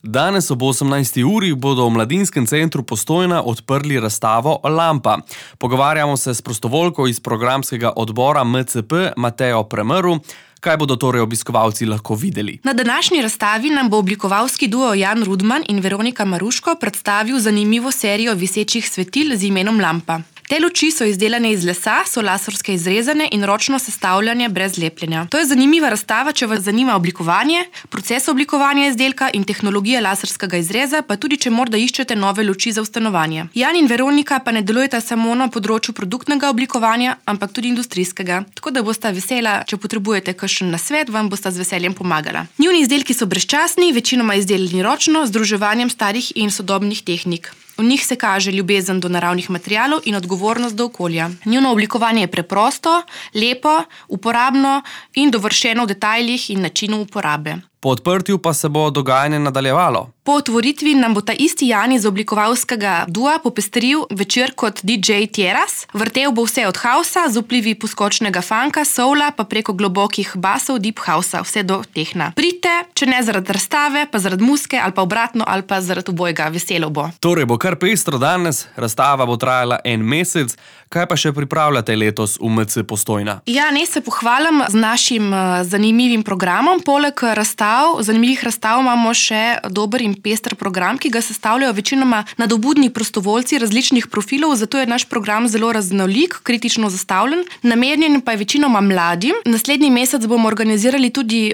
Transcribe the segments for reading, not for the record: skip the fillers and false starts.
Danes ob 18. uri bodo v Mladinskem centru Postojna odprli razstavo Lampa. Pogovarjamo se s prostovoljko iz programskega odbora MCP Matejo Premrl. Kaj bodo torej obiskovalci lahko videli? Na današnji razstavi nam bo oblikovalski duo Jan Rudman in Veronika Maruško predstavil zanimivo serijo visečih svetil z imenom Lampa. Te luči so izdelane iz lesa, so laserske izrezane in ročno sestavljanje brez lepljenja. To je zanimiva razstava, če vas zanima oblikovanje, proces oblikovanja izdelka in tehnologija laserskega izreza, pa tudi če morda iščete nove luči za stanovanje. Jan in Veronika pa ne delujeta samo na področju produktnega oblikovanja, ampak tudi industrijskega. Tako da bosta vesela, če potrebujete kakšen nasvet, vam bosta z veseljem pomagala. Njuni izdelki so brezčasni, večinoma izdelani ročno, z združevanjem starih in sodobnih tehnik. V njih se kaže ljubezen do naravnih materialov in odgovornost do okolja. Njuno oblikovanje je preprosto, lepo, uporabno in dovršeno v detajlih in načinu uporabe. Po odprtju pa se bo dogajanje nadaljevalo. Po otvoritvi nam bo ta isti Jan iz oblikovalskega dua popestril večer kot DJ Tieras. Vrtel bo vse od hausa, z vplivi poskočnega funka, soula, pa preko globokih basov deep hausa, vse do tehna. Pridite, če ne zaradi razstave, pa zaradi muzike ali pa obratno, ali pa zaradi obojega, veselo bo. Torej bo kar pestro danes, razstava bo trajala 1 mesec. Kaj pa še pripravljate letos v MC Postojna? Ja, ne se pohvalim z našim zanimivim programom. Poleg zanimivih razstav imamo še dober in pester program, ki ga sestavljajo večinoma nadobudni prostovoljci različnih profilov, zato je naš program zelo raznolik, kritično zastavljen, namenjen pa je večinoma mladim. Naslednji mesec bomo organizirali tudi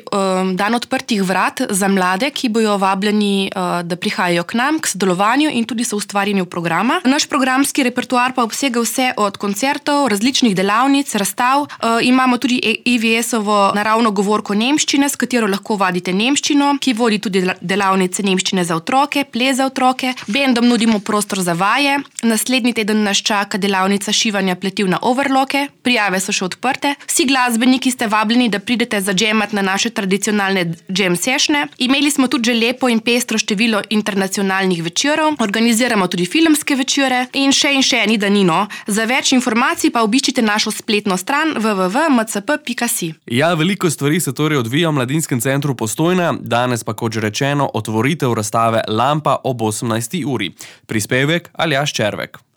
dan odprtih vrat za mlade, ki bojo vabljeni, da prihajajo k nam, k sodelovanju in tudi soustvarjanju programa. Naš programski repertoar pa obsega vse od koncertov, različnih delavnic, razstav. Imamo tudi IVS-ovo naravno govorko nemščine, s katero lahko vadite nemščino, ki vodi tudi delavnice nemščine za otroke, ples za otroke. Bendom nudimo prostor za vaje. Naslednji teden nas čaka delavnica šivanja pletiv na overloke. Prijave so še odprte. Vsi glasbeniki ste vabljeni, da pridete zadžemat na naše tradicionalne jam sessione. Imeli smo tudi že lepo in pestro število internacionalnih večerov. Organiziramo tudi filmske večere in še ni danino. Za več informacij pa obiščite našo spletno stran www.mcp.si. Ja, veliko stvari se torej odvija v Mladinskem centru Postojna, danes pa, kot že rečeno, otvoritev razstave Lampa ob 18. uri. Prispevek Aljaž Červek.